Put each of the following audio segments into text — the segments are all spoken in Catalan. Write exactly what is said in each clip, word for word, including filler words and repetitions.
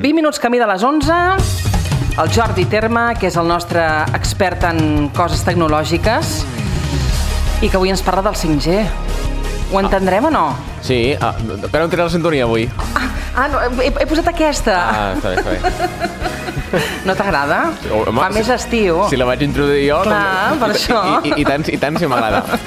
vint minuts camí de les onze. El Jordi Terma, que és el nostre expert en coses tecnològiques i que avui ens parla del cinc G. Ho entendrem o no? Sí, ah, que no em tenen la sintonia avui. Ah, ah no, he, he posat aquesta. Ah, està bé, està bé. No t'agrada? Home, Fa més estiu. Si la vaig introduir jo... Clar, doncs, per i, això. I, i, i, tant, i tant si m'agrada.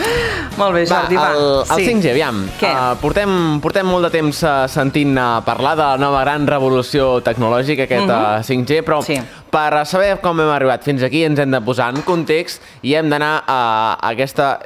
Molt bé, Jordi, va. El, el sí. cinc G, aviam. Què? Uh, portem, portem molt de temps uh, sentint uh, parlar de la nova gran revolució tecnològica, aquest uh-huh. uh, cinc G, però sí. per saber com hem arribat fins aquí ens hem de posar en context i hem d'anar a, a aquesta...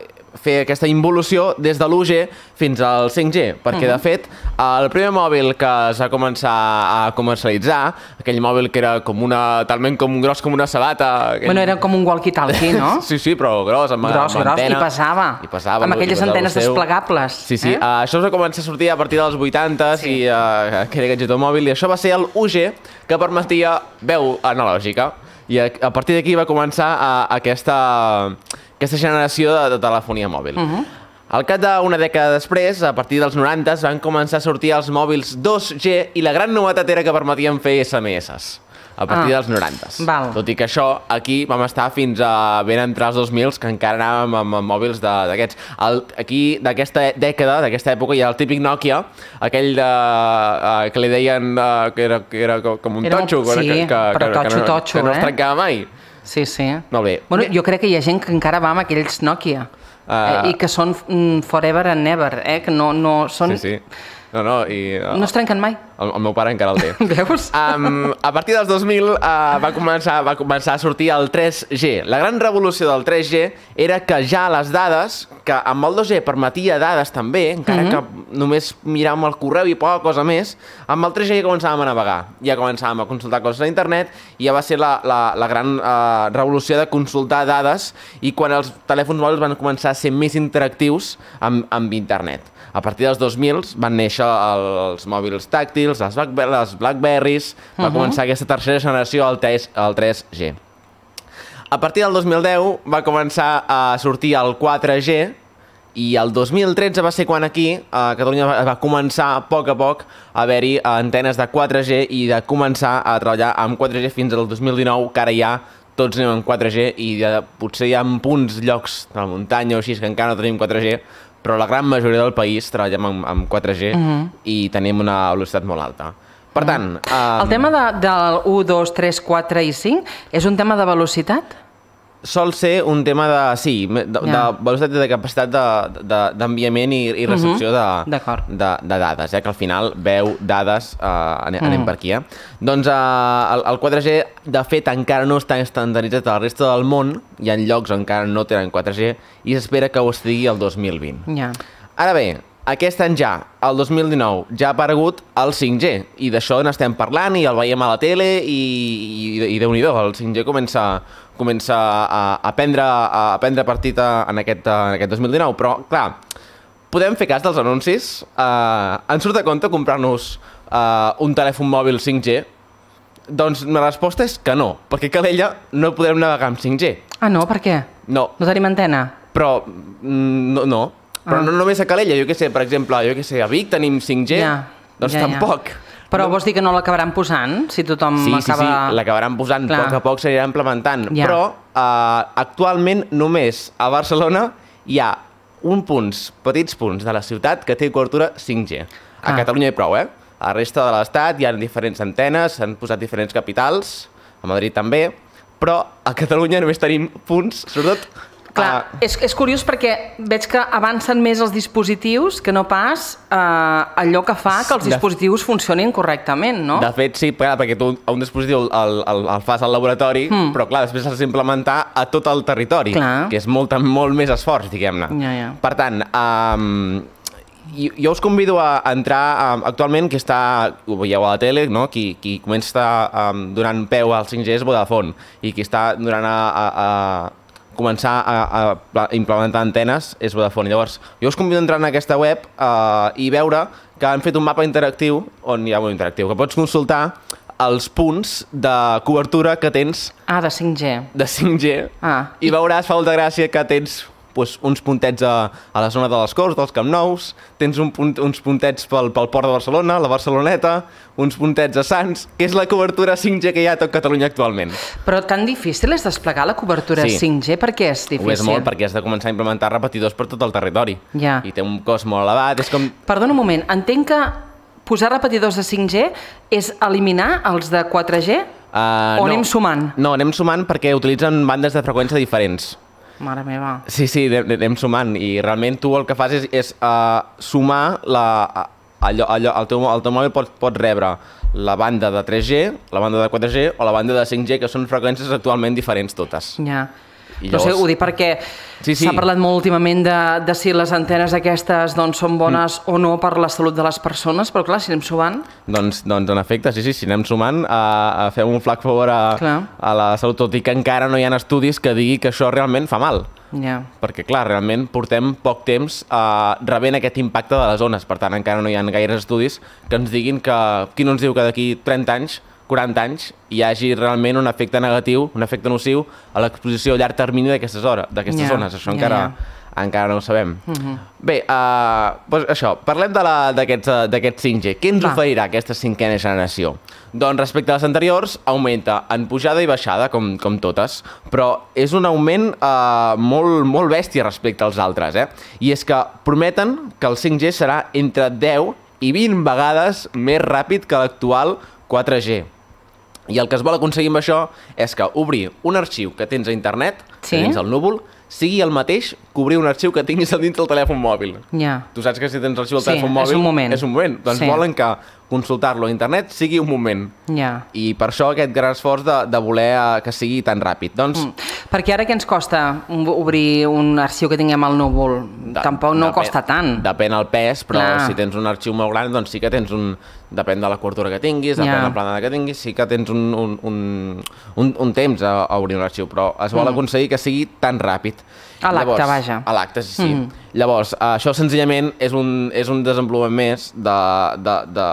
fer aquesta involució des de l'u G fins al cinc G, perquè, uh-huh. de fet, el primer mòbil que es va començar a comercialitzar, aquell mòbil que era com una, talment com gros com una sabata... Aquell... Bueno, era com un walkie-talkie, no? sí, sí, però gros, amb, gros, amb gros, antena. I passava. I passava. Amb aquelles antenes desplegables. Sí, sí, eh? uh, això es va començar a sortir a partir dels vuitanta sí. i uh, que era gadget mòbil, i això va ser el u G, que permetia veu analògica. I a, a partir d'aquí va començar uh, aquesta... aquesta generació de, de telefonia mòbil. Uh-huh. Al cap d'una dècada després, a partir dels noranta, van començar a sortir els mòbils dos G i la gran novetat era que permetien fer esse eme esses a partir ah, dels noranta. Val. Tot i que això, aquí vam estar fins a ben entrar als dos mil, que encara anàvem amb, amb mòbils d'aquests. Aquí, d'aquesta dècada, d'aquesta època, hi ha el típic Nokia, aquell de, uh, que li deien uh, que, era, que era com un era totxo, sí, que, que, però que, totxo, que, no, totxo, que no es eh? trencava mai. Sí, sí. Molt bé. Bueno, jo crec que hi ha gent que encara va amb aquells Nokia uh, eh, i que són mm, forever and never, eh? Que no, no són... Sí, sí. No, no, i... Uh, no es trenquen mai. El, el meu pare encara el té. Veus? Um, a partir dels dos mil uh, va, començar, va començar a sortir el tres G. La gran revolució del tres G era que ja les dades, que amb el dos G permetia dades també, encara mm-hmm. que només miràvem el correu i poca cosa més, amb el tres G ja començàvem a navegar, ja començàvem a consultar coses a internet i ja va ser la, la, la gran uh, revolució de consultar dades i quan els telèfons mòbils van començar a ser més interactius amb, amb internet. A partir dels dos mil van néixer els mòbils tàctils, les, Blackber les Blackberries, va uh-huh. començar aquesta tercera generació, el, el tres G. A partir del dos mil deu va començar a sortir el quatre G i el dos mil tretze va ser quan aquí a Catalunya va, va començar a poc a poc a haver-hi antenes de quatre G i de començar a treballar amb quatre G fins al dos mil dinou, que ara ja tots anem amb quatre G i ja, potser hi ha punts, llocs de la muntanya o així que encara no tenim quatre G, però la gran majoria del país treballem amb, amb quatre G uh-huh. i tenim una velocitat molt alta. Per tant... Uh-huh. um... El tema de, del u, dos, tres, quatre i cinc és un tema de velocitat? Sol ser un tema de, sí, de, de yeah. velocitat i de capacitat d'enviament i, i recepció uh-huh. de, de, de dades, eh? Que al final veu dades, uh, anem, uh-huh. anem per aquí. Eh? Doncs uh, el, el quatre G, de fet, encara no està estandarditzat a la resta del món, hi ha llocs on encara no tenen quatre G, i s'espera que ho estigui el dos mil vint. Yeah. Ara bé, aquest any ja, el dos mil dinou, ja ha aparegut el cinc G, i d'això n'estem parlant, i el veiem a la tele, i, i, i Déu-n'hi-do, el cinc G comença, comença a, a, prendre, a prendre partit en aquest, en aquest dos mil dinou, però, clar, podem fer cas dels anuncis? Uh, ens surt a compte comprar-nos uh, un telèfon mòbil cinc G? Doncs la resposta és que no, perquè a Calella no podrem navegar amb cinc G. Ah, no? Per què? No. No tenim antena? Però, no, no. Però ah. no només a Calella, jo què sé, per exemple, jo què sé, a Vic tenim cinc G, ja, doncs ja, tampoc. Ja. Però no. Vols dir que no l'acabaran posant, si tothom sí, acaba... Sí, sí, l'acabaran posant, Clar. poc a poc s'anirà implementant. Ja. Però uh, actualment només a Barcelona hi ha un punts, petits punts de la ciutat que té cobertura cinc G. A ah. Catalunya hi prou, eh? A la resta de l'estat hi ha diferents antenes, s'han posat diferents capitals, a Madrid també, però a Catalunya només tenim punts, sobretot... Clar, uh, és, és curiós perquè veig que avancen més els dispositius que no pas uh, allò que fa que els dispositius de, funcionin correctament, no? De fet, sí, perquè tu un dispositiu el, el, el fas al laboratori, mm. però clar, després l'has d'implementar a tot el territori, clar. que és molt, molt més esforç, diguem-ne. Ja, ja. Per tant, um, jo, jo us convido a entrar um, actualment, que està, ho veieu a la tele, no? qui, qui comença um, donant peu al cinc G és Vodafone, i qui està donant a... a, a començar a, a implementar antenes és Vodafone. Llavors, jo us convido a entrar en aquesta web uh, i veure que han fet un mapa interactiu, on hi ha un interactiu, que pots consultar els punts de cobertura que tens... Ah, de cinc G. De cinc G. Ah. I veuràs, fa molta gràcia, que tens doncs, uns puntets a, a la zona de les Corts, dels Camp Nous, tens un punt, uns puntets pel, pel Port de Barcelona, la Barceloneta, uns puntets a Sants, que és la cobertura cinc G que hi ha a tot Catalunya actualment. Però tan difícil és desplegar la cobertura sí. cinc G? Per què és difícil? Ho és molt, perquè has de començar a implementar repetidors per tot el territori. Ja. I té un cost molt elevat, és com... Perdona un moment, entenc que posar repetidors de cinc G és eliminar els de quatre G uh, o no. anem sumant? No, anem sumant perquè utilitzen bandes de freqüència diferents. Mare meva. Sí, sí, anem sumant i realment tu el que fas és, és uh, sumar la, allò, allò, el, teu, el teu mòbil pot, pot rebre la banda de tres G, la banda de quatre G o la banda de cinc G, que són freqüències actualment diferents totes. Ja. I llavors... No sé, ho dic perquè sí, sí. s'ha parlat molt últimament de, de si les antenes aquestes doncs, són bones mm. o no per la salut de les persones, però clar, si anem sumant... Doncs, doncs en efecte, sí, sí, si anem sumant, a, a fer un flac favor a, a la salut, tot i que encara no hi ha estudis que digui que això realment fa mal. Yeah. Perquè, clar, realment portem poc temps uh, rebent aquest impacte de les ones, per tant, encara no hi ha gaires estudis que ens diguin que... Qui no ens diu que d'aquí trenta anys, quaranta anys, hi hagi realment un efecte negatiu, un efecte nociu a l'exposició a llarg termini d'aquestes hores, d'aquestes yeah. zones. Això yeah, encara, yeah. encara no ho sabem. Uh-huh. Bé, uh, doncs això, parlem d'aquest cinc G. Què ens Va. oferirà aquesta cinquena generació? Doncs respecte a les anteriors, augmenta en pujada i baixada, com, com totes, però és un augment uh, molt, molt bèstia respecte als altres. Eh? I és que prometen que el cinc G serà entre deu i vint vegades més ràpid que l'actual quatre G. I el que es vol aconseguir amb això és que obrir un arxiu que tens a internet, sí? que tens al núvol, sigui el mateix que obrir un arxiu que tinguis dins del telèfon mòbil. Yeah. Tu saps que si tens l'arxiu al sí, telèfon mòbil... és un moment. És un moment. Doncs sí. volen que consultar-lo a internet sigui un moment. Yeah. I per això aquest gran esforç de, de voler que sigui tan ràpid. Doncs... Mm. Perquè ara què ens costa obrir un arxiu que tinguem al núvol? De, Tampoc no depèn, costa tant. Depèn el pes, però Clar. si tens un arxiu molt gran, doncs sí que tens un... Depèn de la cobertura que tinguis, depèn yeah. de la planada que tinguis, sí que tens un, un, un, un, un temps a, a obrir un arxiu, però es vol mm. aconseguir que sigui tan ràpid. A l'acte, vaja. A l'acte, sí, sí. Mm. Llavors, això senzillament és un, és un desenvolupament més de, de, de,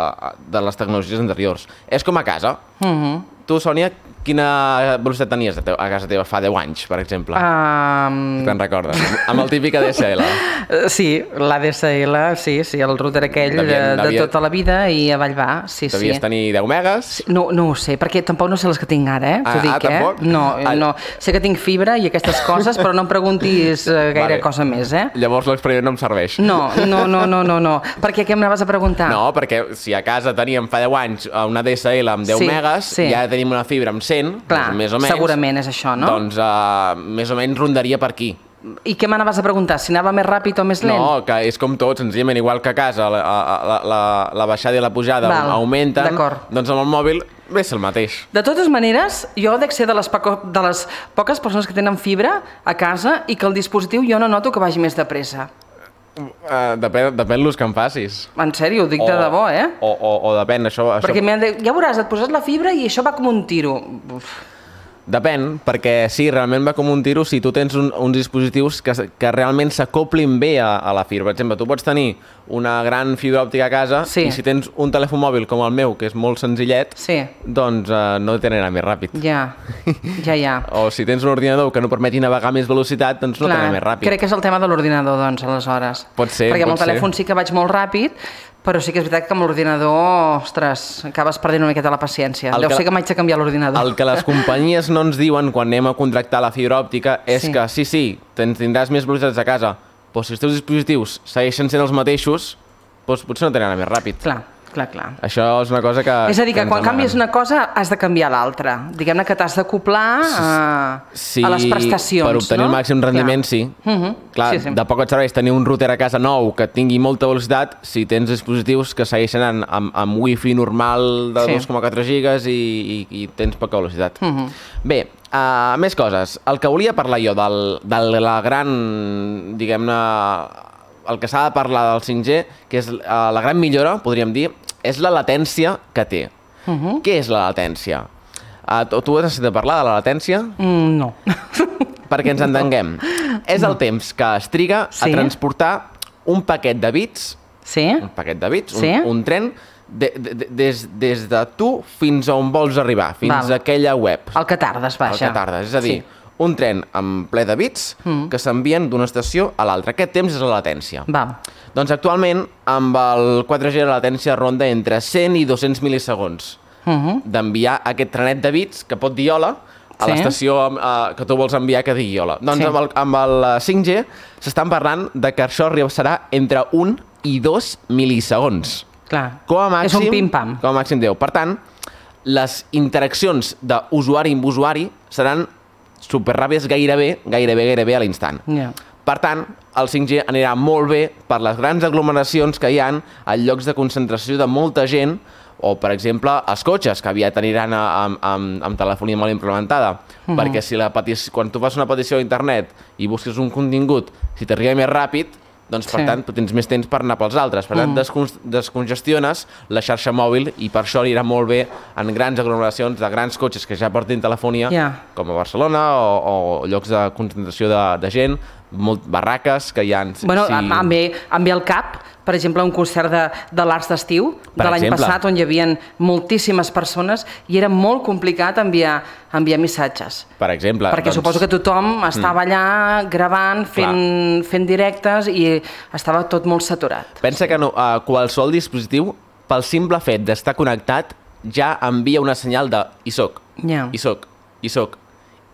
de les tecnologies anteriors. És com a casa. Mm-hmm. Tu, Sònia, quina velocitat tenies a, a casa teva fa deu anys, per exemple? Um... Te'n recordes? Amb el típic A D S L. Sí, l'A D S L, sí, sí, el router aquell devia, de devia... tota la vida i a Vallvà, sí, sí. Devies tenir deu megas? Sí, no, no ho sé, perquè tampoc no sé les que tinc ara, eh? Ah, dic, ah tampoc? Eh? No, ah. no, sé que tinc fibra i aquestes coses, però no em preguntis gaire vale. cosa més, eh? Llavors l'experiment no em serveix. No, no, no, no, no, no. Per què, què em anaves a preguntar? No, perquè si a casa teníem fa deu anys una A D S L amb deu sí, megas sí. i ara tenim una fibra amb cent, Clar, doncs, més o menys, segurament és això, no? Doncs uh, més o menys rondaria per aquí. I què m'anaves a preguntar? Si anava més ràpid o més lent? No, que és com tot, senzillament, igual que a casa la, la, la, la baixada i la pujada Val, augmenten, doncs amb el mòbil ve el mateix. De totes maneres, jo dec ser de les, poco, de les poques persones que tenen fibra a casa i que el dispositiu jo no noto que vagi més de pressa. Uh, depèn, depèn l'ús que em facis. En sèrio, ho dic o, de debò, eh? O, o, o depèn, això... Perquè això... de, ja veuràs, et poses la fibra i això va com un tiro. Uf. Depèn, perquè sí, realment va com un tiro si tu tens un, uns dispositius que, que realment s'acoplin bé a, a la fibra. Per exemple, tu pots tenir una gran fibra òptica a casa sí. i si tens un telèfon mòbil com el meu, que és molt senzillet, sí. doncs uh, no t'anirà més ràpid. Ja, ja, ja. O si tens un ordinador que no permeti navegar més velocitat, doncs no t'anirà més ràpid. Crec que és el tema de l'ordinador, doncs, aleshores. Pot ser, perquè pot amb el telèfon ser. sí que vaig molt ràpid, però sí que és veritat que amb l'ordinador, ostres, acabes perdent una miqueta la paciència. El Deu que, ser que m'haig de canviar l'ordinador. El que les companyies no ens diuen quan anem a contractar la fibra òptica és sí. que sí, sí, tindràs més velocitats a casa, però si els teus dispositius segueixen sent els mateixos, doncs potser no t'anirà més ràpid. Clar, clar, clar. Això és una cosa que... És a dir, que, que quan canvies una cosa has de canviar l'altra. Diguem-ne que t'has d'acoplar a, sí, a les prestacions, per obtenir no? el màxim rendiment, clar. sí. Uh-huh. Clar, sí, sí. De poc et serveix tenir un router a casa nou que tingui molta velocitat si tens dispositius que segueixen en, amb, amb wifi normal de sí. dos coma quatre gigas i, i, i tens poca velocitat. Uh-huh. Bé, uh, més coses. El que volia parlar jo del, de la gran, diguem-ne, el que s'ha de parlar del cinc G, que és uh, la gran millora, podríem dir, és la latència que té. Uh-huh. Què és la latència? Uh, tu, tu has sentit parlar de la latència? Mm, no. Perquè ens entenguem. És el temps que es triga sí. a transportar un paquet de bits, sí. un paquet de bits, sí. un, un tren, de, de, de, des, des de tu fins a on vols arribar, fins Val. a aquella web. El que tardes, vaja. El que tardes, és a dir, sí. un tren en ple de bits mm. que s'envien d'una estació a l'altra. Aquest temps és la latència. Va. Doncs actualment, amb el quatre G la latència ronda entre cent i dos-cents mil·lisegons uh -huh. d'enviar aquest trenet de bits que pot dir hola a sí. l'estació uh, que tu vols enviar que digui hola. Doncs sí. amb, el, amb el cinc G s'estan parlant de que això serà entre un i dos mil·lisegons. Clar, com a màxim, és un pim-pam. Com a màxim deu. Per tant, les interaccions d'usuari amb usuari seran superràpides gairebé, gairebé, gairebé a l'instant. Yeah. Per tant, el cinc G anirà molt bé per les grans aglomeracions que hi ha a llocs de concentració de molta gent o, per exemple, els cotxes, que aviat aniran a, amb, amb, amb telefonia molt implementada. Uh -huh. Perquè si la petició, quan tu fas una petició a internet i busques un contingut, si t'arriba més ràpid, doncs, per sí. tant, tu tens més temps per anar pels altres. Per tant, descon descongestiones la xarxa mòbil i per això anirà molt bé en grans aglomeracions de grans cotxes que ja portin telefonia, yeah. com a Barcelona o, o llocs de concentració de, de gent, molt barraques que hi ha... Bueno, si... em, ve, em ve al cap, per exemple, un concert de, de l'Arts d'Estiu de l'any passat, on hi havia moltíssimes persones i era molt complicat enviar, enviar missatges. Per exemple. Perquè doncs... suposo que tothom estava mm. allà gravant, fent, fent directes i estava tot molt saturat. Pensa que no, uh, qualsevol dispositiu, pel simple fet d'estar connectat, ja envia una senyal de hi soc, yeah. hi soc, hi soc.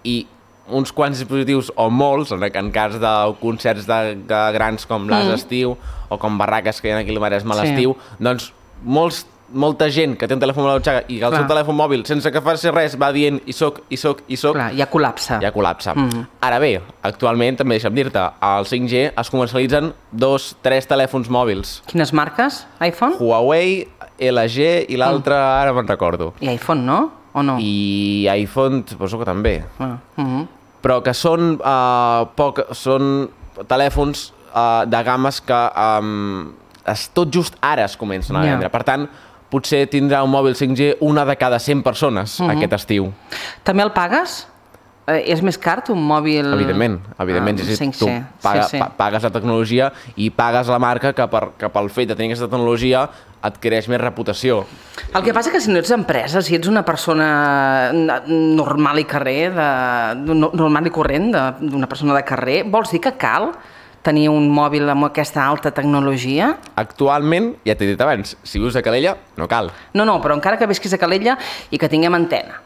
I uns quants dispositius, o molts, en, en cas de concerts de, de grans com l'As d'Estiu mm. o com barraques que hi ha aquí al Maresme a l'estiu, sí. doncs molts, molta gent que té un telèfon a la butxaca i que el Clar. seu telèfon mòbil, sense que faci res, va dient hi soc, hi soc, hi soc... Clar, ja col·lapsa. Ja col·lapsa. Mm. Ara bé, actualment, també deixa'm dir-te, al cinc G es comercialitzen dos, tres telèfons mòbils. Quines marques? iPhone? Huawei, L G i l'altre, mm. ara me'n recordo. I iPhone, no? O no? I iPhone, suposo que també. Ah. Mm-hmm. Però que són, uh, poc, són telèfons uh, de games que um, es, tot just ara es comencen a vendre. Yeah. Per tant, potser tindrà un mòbil cinc G una de cada cent persones uh-huh. aquest estiu. També el pagues? Eh, és més car un mòbil... Evidentment, evidentment. Ah, sí, tu paga, sí, sí. Pa, pagues la tecnologia i pagues la marca que, per, que pel fet de tenir aquesta tecnologia adquireix més reputació. El que passa que si no ets empresa, si ets una persona normal i carrer, de, normal i corrent, d'una persona de carrer, vols dir que cal tenir un mòbil amb aquesta alta tecnologia? Actualment, ja t'he dit abans, si vius a Calella, no cal. No, no, però encara que visquis a Calella i que tinguem antena,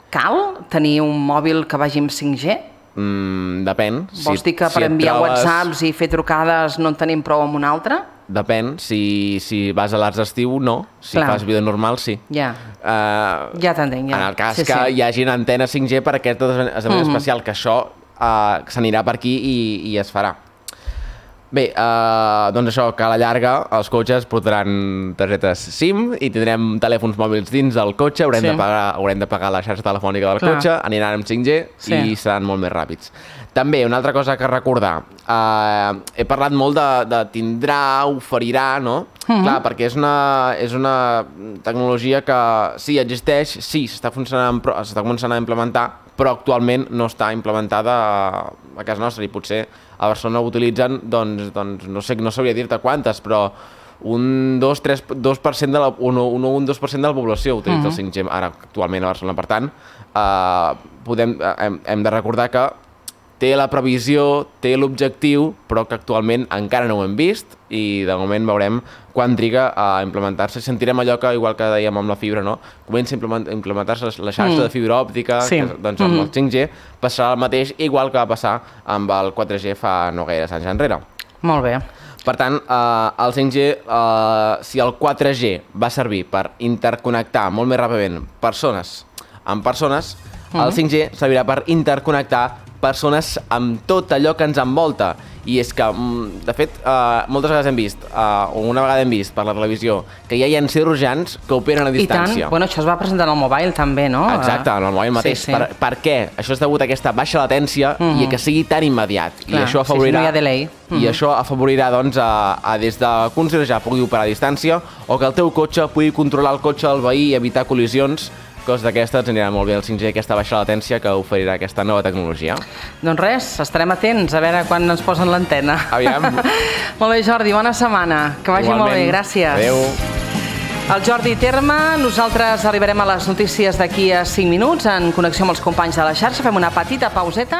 cal tenir un mòbil que vagi amb cinc G? Mm, depèn. Vols dir que per enviar whatsapps i fer trucades no en tenim prou amb un altre? Depèn. Si, si vas a l'Arts d'Estiu, no. Si Clar. fas vida normal, sí. Ja. Uh, ja t'entenc, ja. En el cas sí, que sí. hi hagi una antena cinc G per aquest esdeveniment mm-hmm. especial, que això uh, s'anirà per aquí i, i es farà. Bé, uh, doncs això, que a la llarga els cotxes portaran targetes SIM i tindrem telèfons mòbils dins del cotxe, haurem, sí. de, pagar, haurem de pagar la xarxa telefònica del Clar. cotxe, aniran amb cinc G sí. i seran molt més ràpids. També, una altra cosa que recordar, uh, he parlat molt de, de tindrà, oferirà, no? Mm-hmm. Clar, perquè és una, és una tecnologia que sí, existeix, sí, s'està funcionant, s'està començant a implementar, però actualment no està implementada a, a casa nostra i potser a Barcelona ho utilitzen, doncs, doncs no sé, no sabria dir-te quantes, però un dos per cent de la, un, un, un dos per cent de la població utilitza uh-huh. el cinc G ara actualment a Barcelona. Per tant, eh, podem, hem, hem de recordar que té la previsió, té l'objectiu, però que actualment encara no ho hem vist i de moment veurem quan triga a implementar-se. Sentirem allò que, igual que dèiem amb la fibra, no? Comença a implementar-se la xarxa mm. de fibra òptica, sí. que, doncs amb mm. el cinc G passarà el mateix, igual que va passar amb el quatre G fa no gaires anys enrere. Molt bé. Per tant, eh, el cinc G, eh, si el quatre G va servir per interconnectar molt més ràpidament persones amb persones, mm. el cinc G servirà per interconnectar persones amb tot allò que ens envolta. I és que, de fet, uh, moltes vegades hem vist, uh, o una vegada hem vist per la televisió, que hi ha cirurgians que operen a distància. I tant, bueno, això es va presentar en el mobile també, no? Exacte, en el mobile mateix. Sí, sí. Per, per què? Això és degut a aquesta baixa latència mm-hmm. i que sigui tan immediat. Clar, I això afavorirà, sí, sí, no hi ha delay. Mm-hmm. I això afavorirà, doncs, a, a des de que un cirurgià pugui operar a distància o que el teu cotxe pugui controlar el cotxe del veí i evitar col·lisions. Coses d'aquestes ens anirà molt bé el cinc G, aquesta baixa latència que oferirà aquesta nova tecnologia. Doncs res, estarem atents a veure quan ens posen l'antena. Aviam. Molt bé, Jordi, bona setmana. Que vagi Igualment. Molt bé, gràcies. Adéu. El Jordi Terme, nosaltres arribarem a les notícies d'aquí a cinc minuts en connexió amb els companys de la xarxa. Fem una petita pauseta